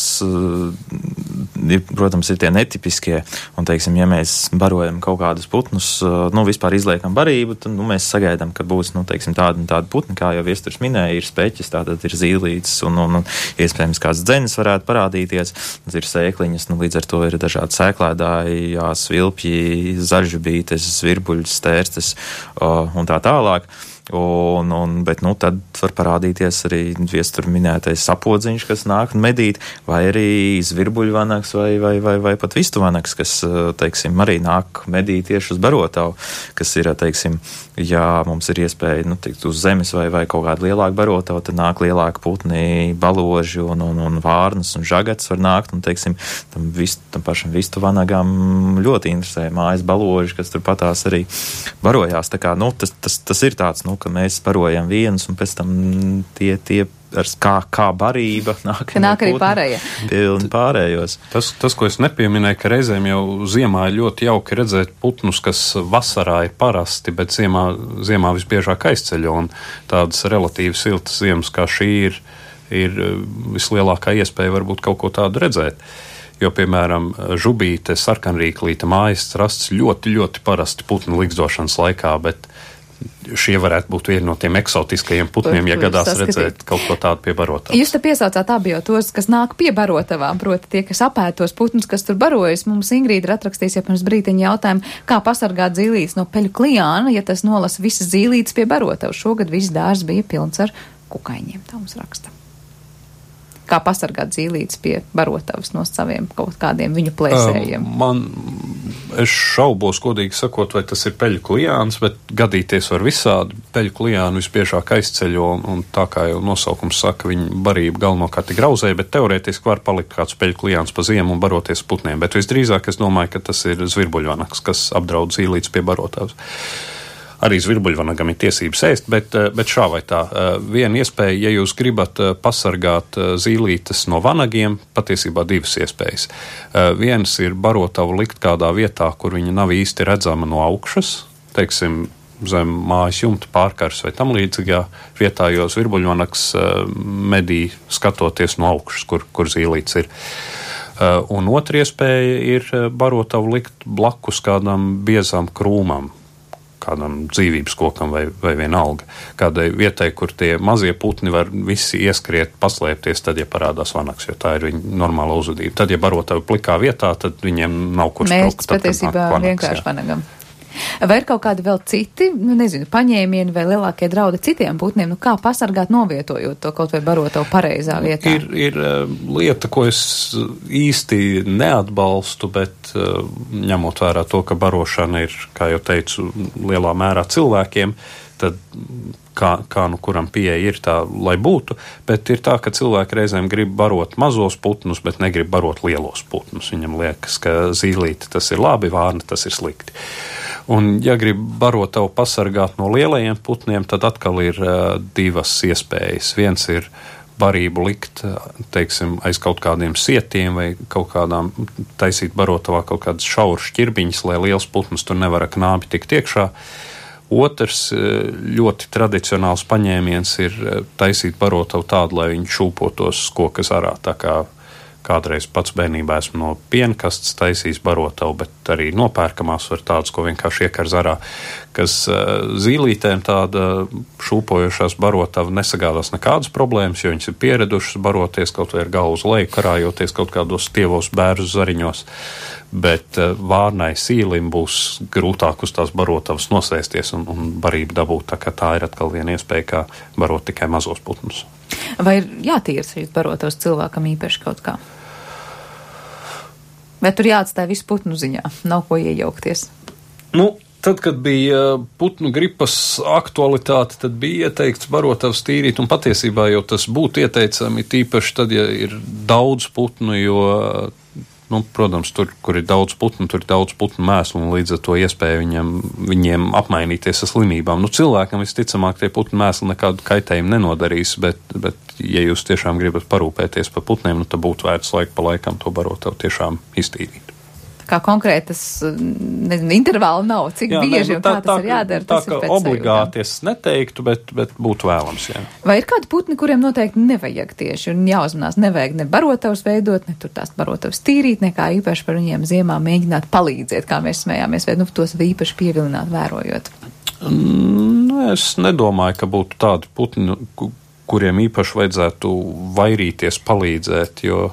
ir, protams, ir tie netipiskie, un, teiksim, ja mēs barojam kaut kādus putnus, nu, vispār izliekam barību, tad, nu, mēs sagaidām, ka būs, nu, teiksim, tādi un tādi putni, kā jau Viesturs minēja, ir speķis, tātad ir zīlītes, un, un, un iespējams kāds dzenis varētu parādīties, ir sēkliņas, nu, līdz ar to ir dažādi sēklēdāji, svilpji, zaļžubītes, zvirbuļas, stērstes, un tā tālāk. Un, un, bet, nu, tad var parādīties arī Viestur minētais sapodziņš, kas nāk medīt, vai arī zvirbuļvanaks, vai, vai, vai, vai pat vistuvanaks, kas, teiksim, arī nāk medīt tieši uz barotavu, kas ir, teiksim, ja mums ir iespēja, nu, teikt, uz zemes vai, vai kaut kāda lielāka barotava, tad nāk lielāka putni, baloži un, un, un vārnas un žagats var nākt, un, teiksim, tam, vist, tam pašam vistuvanagam ļoti interesē mājas baloži, kas tur patās arī barojās, tā kā, nu, tas, tas, tas ir tāds, nu, ka mēs barojam vienus, un pēc tam tie, tie ar kā, kā barība nāk, nāk arī pārējie. Pilni pārējos. Tas, tas, ko es nepieminēju, ka reizēm jau ziemā ir ļoti jauki redzēt putnus, kas vasarā ir parasti, bet ziemā, ziemā visbiežāk aizceļo, un tādas relatīvi siltas ziemas kā šī ir, ir vislielākā iespēja varbūt kaut ko tādu redzēt. Jo, piemēram, žubīte, sarkanrīklīte, mājas strasts ļoti, ļoti parasti putnu likstošanas laikā, bet šie varētu būt vieni no tiem eksotiskajiem putniem, ja gadās redzēt kaut ko tādu pie barotavām. Jūs te piesaucāt abi jau tos, kas nāk pie barotavām, proti tie, kas apētos putnus, kas tur barojas. Mums Ingrīda ir atrakstījis jau pirms brīteņa jautājumu, kā pasargāt zīlītes no peļu klijāna, ja tas nolasa visas zīlītes pie barotavas. Šogad viss dārzs bija pilns ar kukaiņiem, tā mums raksta. Kā pasargāt zīlītes pie barotavas no saviem kaut kādiem viņu plēsējiem? Um, man, es šaubos, godīgi sakot, vai tas ir peļu klijāns, bet gadīties var visādi. Peļu klijānu visbiežāk aizceļo, un, un tā kā jau nosaukums saka, viņa barība galvenokārt ir grauzēja, bet teorētiski var palikt kāds peļu klijāns pa ziemu un baroties putniem. Bet visdrīzāk es domāju, ka tas ir zvirbuļvanaks, kas apdraud zīlītes pie barotavas. Arī zvirbuļvanagam ir tiesības ēst, bet, bet šā vai tā. Viena iespēja, ja jūs gribat pasargāt zīlītes no vanagiem, patiesībā divas iespējas. Viens ir barotavu likt kādā vietā, kur viņa nav īsti redzama no augšas, teiksim, zem mājas jumta pārkars vai tam līdzīgā vietā, jo zvirbuļvanaks medī skatoties no augšas, kur, kur zīlītes ir. Un otra iespēja ir barotavu likt blakus kādam biezam krūmam, kādam dzīvības kokam vai, vai vienalga. Kādai vietai, kur tie mazie putni var visi ieskriet, paslēpties, tad, ja parādās vanaks, jo tā ir viņa normāla uzvedība. Tad, ja barotavi plikā vietā, tad viņiem nav kur spilgt. Mērķis patiesībā vienkārši vanagam. Vai ir kaut kādi vēl citi, nu nezinu, paņēmieni vai lielākie draudi citiem putniem, nu kā pasargāt novietojot to kaut vai barotavu pareizā vietā? Ir, ir lieta, ko es īsti neatbalstu, bet ņemot vērā to, ka barošana ir, kā jau teicu, lielā mērā cilvēkiem, tad kā, kā nu kuram pieeja ir tā, lai būtu, bet ir tā, ka cilvēki reizēm grib barot mazos putnus, bet negrib barot lielos putnus. Viņam liekas, ka zīlīte tas ir labi, vārna tas ir slikti. Un, ja grib barotavu pasargāt no lielajiem putniem, tad atkal ir uh, divas iespējas. Viens ir barību likt, teiksim, aiz kaut kādiem sietiem vai kaut kādām taisīt barotavā kaut kādas šauras šķirbiņas, lai liels putns tur nevar ar knābi tikt iekšā. Otrs ļoti tradicionāls paņēmiens ir taisīt barotavu tādu, lai viņi šūpotos koka zarā, tā kā kādreiz pats bērnībā esmu no pienkastes taisījis barotavu, bet arī nopērkamās var tādas, ko vienkārši iekar zarā, kas uh, zīlītēm tāda šūpojošās barotava nesagādās nekādas problēmas, jo viņas ir pieradušas baroties kaut vai ar galvu uz leju, karājoties kaut kādos tievos bērzu zariņos, bet uh, vārnai sīlim būs grūtāk uz tās barotavas nosēsties un, un barību dabūt, tā kā tā ir atkal viena iespēja, kā barot tikai mazos putnus. Vai ir jātīras šīs barotos cilvēkam īpaši kaut kā? Vai tur jāatstāja visu putnu ziņā? Nav ko iejaukties? Nu, tad, kad bija putnu gripas aktualitāte, tad bija ieteikts barotavas tīrīt, un patiesībā jau tas būtu ieteicami tīpaši tad, ja ir daudz putnu, jo, nu, protams, tur, kur ir daudz putnu, tur ir daudz putnu mēslu, un līdz ar to iespēja viņam, viņiem apmainīties ar slimībām. Nu, cilvēkam visticamāk tie putnu mēsli nekādu kaitējumu nenodarīs, bet, bet, ja jūs tiešām gribat parūpēties par putniem, nu, tad būtu vērts laiku pa laikam to barotavu tiešām iztīrīt. Kā konkrētas, nezinu, intervāli nav, cik jā, bieži ne, nu, tā, un kā tas tā, ir jādara, tā, tas ir pēc obligāti sajūtām. Es neteiktu, bet, bet būtu vēlams, jā. Vai ir kādi putni, kuriem noteikti nevajag tieši un jāuzmanās, nevajag ne barotavas veidot, ne tur tās barotavas tīrīt, nekā īpaši par viņiem ziemā mēģināt palīdzēt, kā mēs smējāmies, vai nu tos īpaši pievilināt vērojot? Nu, es nedomāju, ka būtu tādi putni, kuriem īpaši vajadzētu vairīties palīdzēt, jo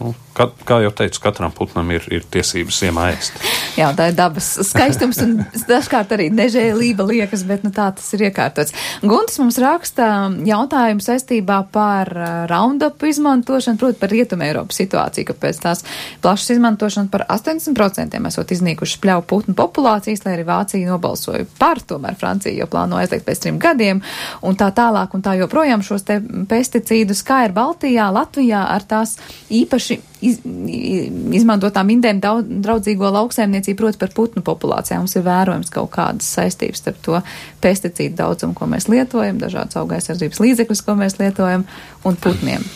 nu, kā, kā jau teicu, katram putnam ir, ir tiesības ziemā ēst. Jā, tā ir dabas skaistums un dažkārt arī nežēlība liekas, bet nu, tā tas ir iekārtots. Guntis mums raksta jautājumu saistībā par Roundup izmantošanu, proti par Rietumē Eiropas situāciju, ka pēc tās plašas izmantošanas par astoņdesmit procentiem esot iznīkušas pļauju putnu populācijas, lai arī Vācija nobalsoja par, tomēr Francija jau plāno aizliegt pēc trim gadiem un tā tālāk un tā joprojām šos te pesticīdus, kā ir Baltijā, Latvijā ar tās īpaši Iz, izmantotām indēm daudz, draudzīgo lauksaimniecību, proti par putnu populācijām. Mums ir vērojams kaut kādas saistības starp to pesticīdu daudzumu, ko mēs lietojam, dažādas augaisardzības līdzekļus, ko mēs lietojam, un putniem.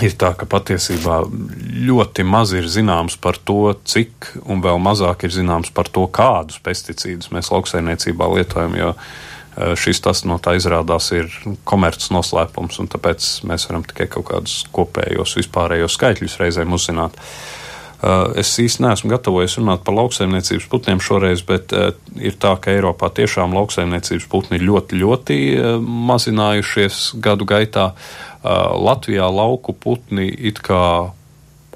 Ir tā, ka patiesībā ļoti maz ir zināms par to, cik, un vēl mazāk ir zināms par to, kādus pesticīdus mēs lauksaimniecībā lietojam, jo šis tas no tā izrādās ir komerces noslēpums, un tāpēc mēs varam tikai kaut kādus kopējos vispārējos skaitļus reizēm uzzināt. Es īsti neesmu gatavojies runāt par lauksaimniecības putniem šoreiz, bet ir tā, ka Eiropā tiešām lauksaimniecības putni ir ļoti, ļoti mazinājušies gadu gaitā. Latvijā lauku putni it kā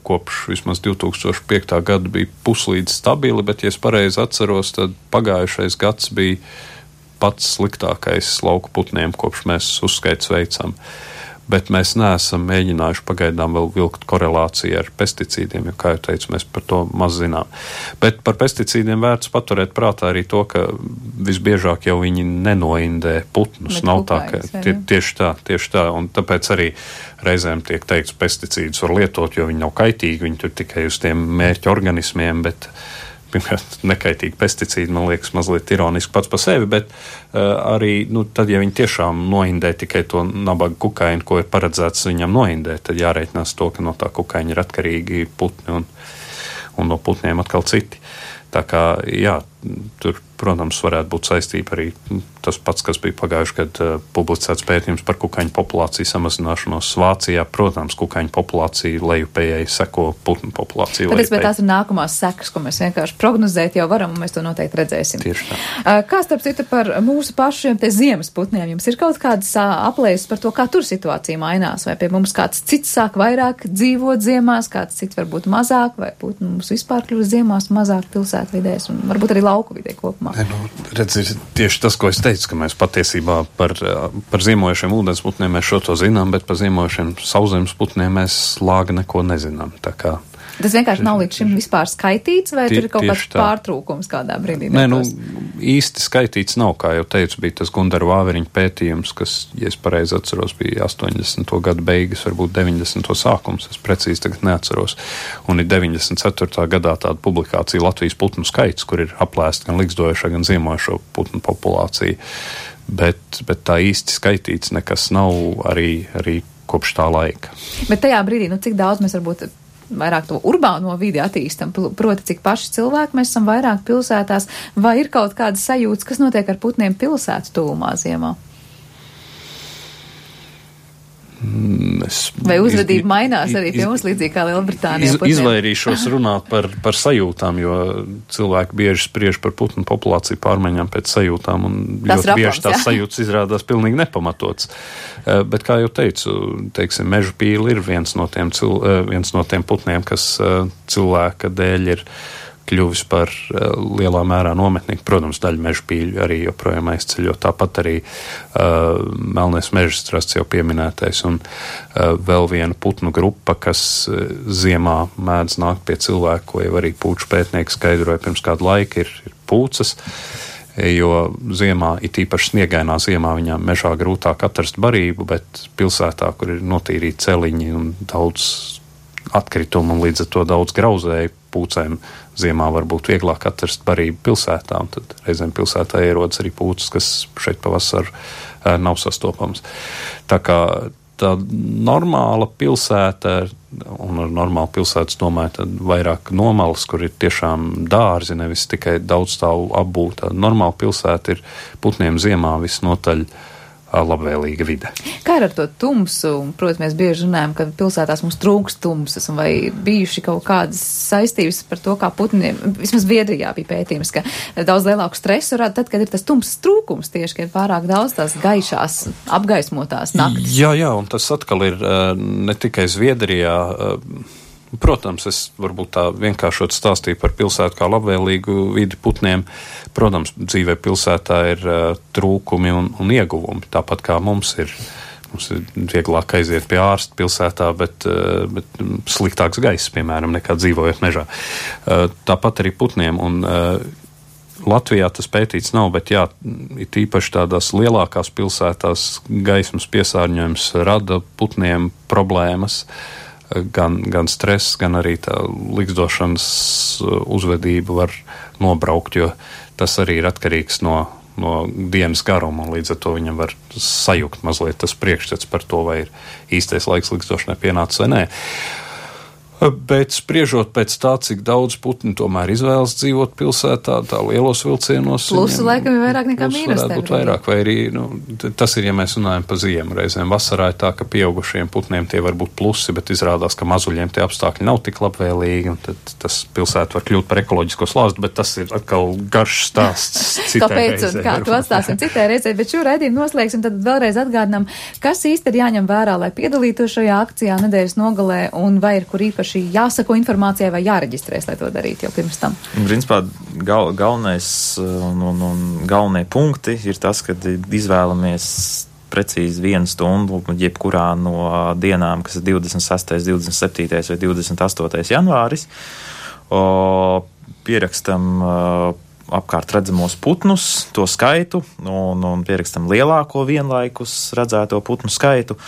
kopš vismaz divi tūkstoši piektajā gada bija puslīdz stabili, bet, ja es pareizi atceros, tad pagājušais gads bija pats sliktākais lauku putniem, kopš mēs uzskaits veicam. Bet mēs neesam mēģinājuši pagaidām vēl vilkt korelāciju ar pesticīdiem, jo, kā jau teicu, mēs par to maz zinām. Bet par pesticīdiem vērts paturēt prātā arī to, ka visbiežāk jau viņi nenoindē putnus. Nav tā, ka tie, tieši tā, tieši tā, un tāpēc arī reizēm tiek teikts, pesticīdus var lietot, jo viņi nav kaitīgi, viņi tur tikai uz tiem mērķa organismiem, bet pirmkārt, nekaitīgi pesticīdi, man liekas, mazliet ironiski pats par sevi, bet uh, arī, nu, tad, ja viņi tiešām noindē tikai to nabaga kukaiņu, ko ir paredzēts viņam noindēt, tad jārēķinās to, ka no tā kukaiņa ir atkarīgi putni un, un no putniem atkal citi. Tā kā, jā, tur, protams, varētu būt saistība arī tas pats, kas bija pagājuši, kad uh, publicēts pētījums par kukaiņu populāciju samazināšanos Vācijā. Protams, kukaiņu populācija lejupējai seko putnu populāciju. Tāpēc, bet tās ir nākamās sekas, ko mēs vienkārši prognozēt jau varam, un mēs to noteikti redzēsim. Tieši tā. Uh, kā starp citu par mūsu pašiem te ziemas putniem? Jums ir kaut kādas uh, aplēses par to, kā tur situācija mainās? Vai pie mums kāds cits sāk vairāk dzīvot ziemās, kāds cits varbūt mazāk, vai putni mums vispār kļūst ziemās mazāk pilsētvidēs, un varbūt arī lauku vidē kopumā? Ne, nu, redz, ir tieši tas, ko es teicu, ka mēs patiesībā par, par ziemojušiem ūdens putniem mēs šo to zinām, bet par ziemojušiem sauszemes putniem mēs lāga neko nezinām. Tā kā tas vienkārši nav līdz šim vispār skaitīts, vai tie, tur ir kaut kāds tā. pārtrūkums kādā brīdī? Nē, nu, īsti skaitīts nav, kā jau teicu, bija tas Gundara Vāveriņa pētījums, kas, ja es pareizi atceros, bija astoņdesmito gadu beigas, varbūt deviņdesmito sākums, es precīzi tagad neatceros. Un ir deviņdesmit ceturtajā gadā tāda publikācija Latvijas putnu skaits, kur ir aplēsta gan likstojošā, gan ziemojošo putnu populācija. Bet, bet tā īsti skaitīts nekas nav arī, arī kopš tā laika. Bet tajā brīdī, nu cik daudz mēs varbūt vairāk to urbāno vidi attīstam, proti, cik paši cilvēki mēs esam vairāk pilsētās, vai ir kaut kādas sajūtas, kas notiek ar putniem pilsētu tuvumā ziemā? Es Vai uzvedība iz, mainās arī pie iz, mums līdzīgi kā Lielbritānijā? Iz, izvairīšos runāt par, par sajūtām, jo cilvēki bieži spriež par putnu populāciju pārmaiņām pēc sajūtām, un tas ļoti rapams, bieži tās jā. sajūtas izrādās pilnīgi nepamatots. Bet, kā jau teicu, teiksim, meža pīli ir viens no tiem, cil, viens no tiem putniem, kas cilvēka dēļ ir kļuvis par uh, lielā mērā nometnieku. Protams, daļa meža pīļu arī joprojām aizceļo. Tāpat arī uh, melnais mežstrasts jau pieminētais un uh, vēl viena putnu grupa, kas uh, ziemā mēdz nākt pie cilvēku, ko jau arī pūču pētnieki skaidroja pirms kādu laiku, ir, ir pūcas, jo ziemā, it īpaši sniegainā ziemā, viņām mežā grūtāk atrast barību, bet pilsētā, kur ir notīrīti celiņi un daudz atkritumu un līdz ar to daudz grauzēju, pūcēm ziemā var būt vieglāk atrast barību pilsētā, un tad reizēm pilsētā ierodas arī pūces, kas šeit pavasar uh, nav sastopams. Tā kā tā normāla pilsēta, un ar normālu pilsētas domāju, tad vairāk nomalas, kur ir tiešām dārzi, nevis tikai daudzstāvu apbūta. Normāla pilsēta ir putniem ziemā visnotaļ labvēlīga vide. Kā ir ar to tumsu? Protams, mēs bieži runājam, ka pilsētās mums trūks tumsas, un vai bijuši kaut kādas saistības par to, kā putniem, vismaz Zviedrijā bija pētījums, ka daudz lielāku stresu rada tad, kad ir tas tumsas trūkums tieši, ka ir pārāk daudz tās gaišās, apgaismotās naktis. Jā, jā, un tas atkal ir ne tikai Zviedrijā. Protams, es varbūt tā vienkāršot stāstīju par pilsētu kā labvēlīgu vidi putniem. Protams, dzīvē pilsētā ir uh, trūkumi un, un ieguvumi, tāpat kā mums ir. Mums ir vieglāk aiziet pie ārsta pilsētā, bet, uh, bet sliktāks gaiss, piemēram, nekā dzīvojot mežā. Uh, tāpat arī putniem. Un, uh, Latvijā tas pētīts nav, bet jā, it īpaši tādās lielākās pilsētās gaismas piesārņojums rada putniem problēmas. Gan, gan stress, gan arī tā likstošanas uzvedība var nobraukt, jo tas arī ir atkarīgs no, no dienas garuma, un līdz ar to viņam var sajukt mazliet tas priekšstats par to, vai ir īstais laiks likstošanai pienācis vai nē. Bet spriežot pēc tā, cik daudz putni tomēr izvēlas dzīvot pilsētā, tā lielos vilcienos. Plusu laikam ir vairāk nekā mīnus. Varētu būt vairāk, vai arī, nu, tas ir, ja mēs runājam pa ziemu reizēm. Vasarā ir tā, ka pieaugušiem putniem tie var būt plusi, bet izrādās, ka mazuļiem tie apstākļi nav tik labvēlīgi, un tad tas pilsēta var kļūt par ekoloģisko slāzdu, bet tas ir atkal garš stāsts citai Kāpēc reizē. Un kā to atstāsim citai reizē, bet šo raidījumu noslēgsim, tad vēlreiz atgādinām, kas īsti ir jāņem vērā, lai piedalītos šajā akcijā nedēļas nogalē, un vai ir kur īpaši jāsako informācijai vai jāreģistrēs, lai to darītu jau pirms tam? Principā gal, galvenais un, un, un galvenie punkti ir tas, kad izvēlamies precīzi vienu stundu jebkurā no dienām, kas ir divdesmit sestais, divdesmit septītais vai divdesmit astotais janvāris. O, pierakstam o, apkārt redzamos putnus, to skaitu, un, un pierakstam lielāko vienlaikus redzēto putnu skaitu.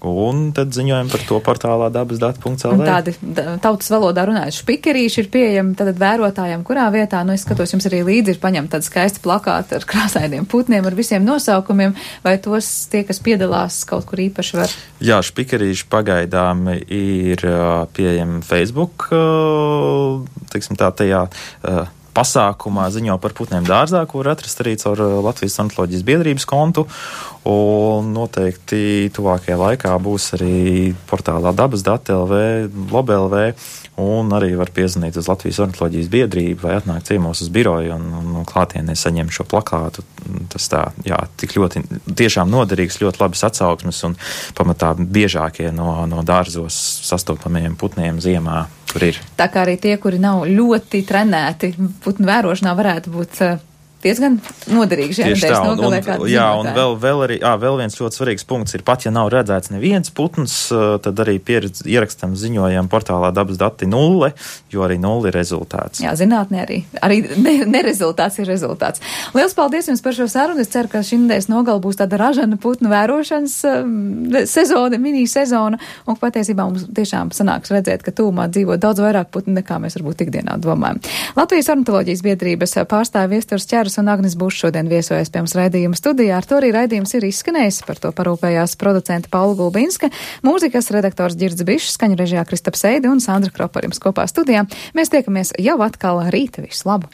Un tad ziņojam par to portālā dabas dati punkts el vē. Tādi tautas valodā runājot špikerīši ir pieejami tad vērotājiem, kurā vietā, nu es skatos, jums arī līdzi ir paņemta tāda skaista plakāta ar krāsainiem putniem, ar visiem nosaukumiem, vai tos tie, kas piedalās kaut kur īpaši var? Jā, špikerīši pagaidām ir pieejami Facebook, teiksim tā, tajā pasākumā ziņo par putniem dārzā, kur atrast arī caur Latvijas ornitoloģijas biedrības kontu, un noteikti tuvākajā laikā būs arī portālā dabas dati el vē, lob el vē, un arī var piezvanīt uz Latvijas ornitoloģijas biedrību vai atnākt ciemos uz biroju un, un, un klātienē saņemt šo plakātu. Tas tā, jā, tik ļoti tiešām noderīgs, ļoti labas atsauksmes un pamatā biežākie no, no dārzos sastopamajiem putniem ziemā. Ir. Tā kā arī tie, kuri nav ļoti trenēti putnu vērošanā, varētu būt uh, diezgan noderīgi šajā nedēļas nogalē. Un, un, jā, un vēl, vēl, arī, ā, vēl viens ļoti svarīgs punkts ir, pat ja nav redzēts neviens putns, tad arī pieredz, ierakstam ziņojam portālā dabas dati nulle, jo arī nulle ir rezultāts. Jā, zinātnē arī. Arī ne, ne rezultāts ir rezultāts. Liels paldies jums par šo sarunu. Es ceru, ka šī nedēļas nogala būs tāda ražana putnu vērošanas um, sezona, mini sezona, un patiesībā mums tiešām sanāks redzēt, ka tūmā dzīvo daudz vairāk putnu, nekā mēs varbūt ikdienā domājam. Latvijas ornitoloģijas biedrības pārstāvja Viesturs Čeras un Agnes Bušs šodien viesojas pie mums raidījuma studijā. Ar to arī raidījums ir izskanējis. Par to parūpējās producenta Paula Gulbinska, mūzikas redaktors Ģirds Bišs, skaņu režijā Kristaps Eidi un Sandra Kropa ar jums kopā studijā. Mēs tiekamies jau atkal rīta. Visu labu!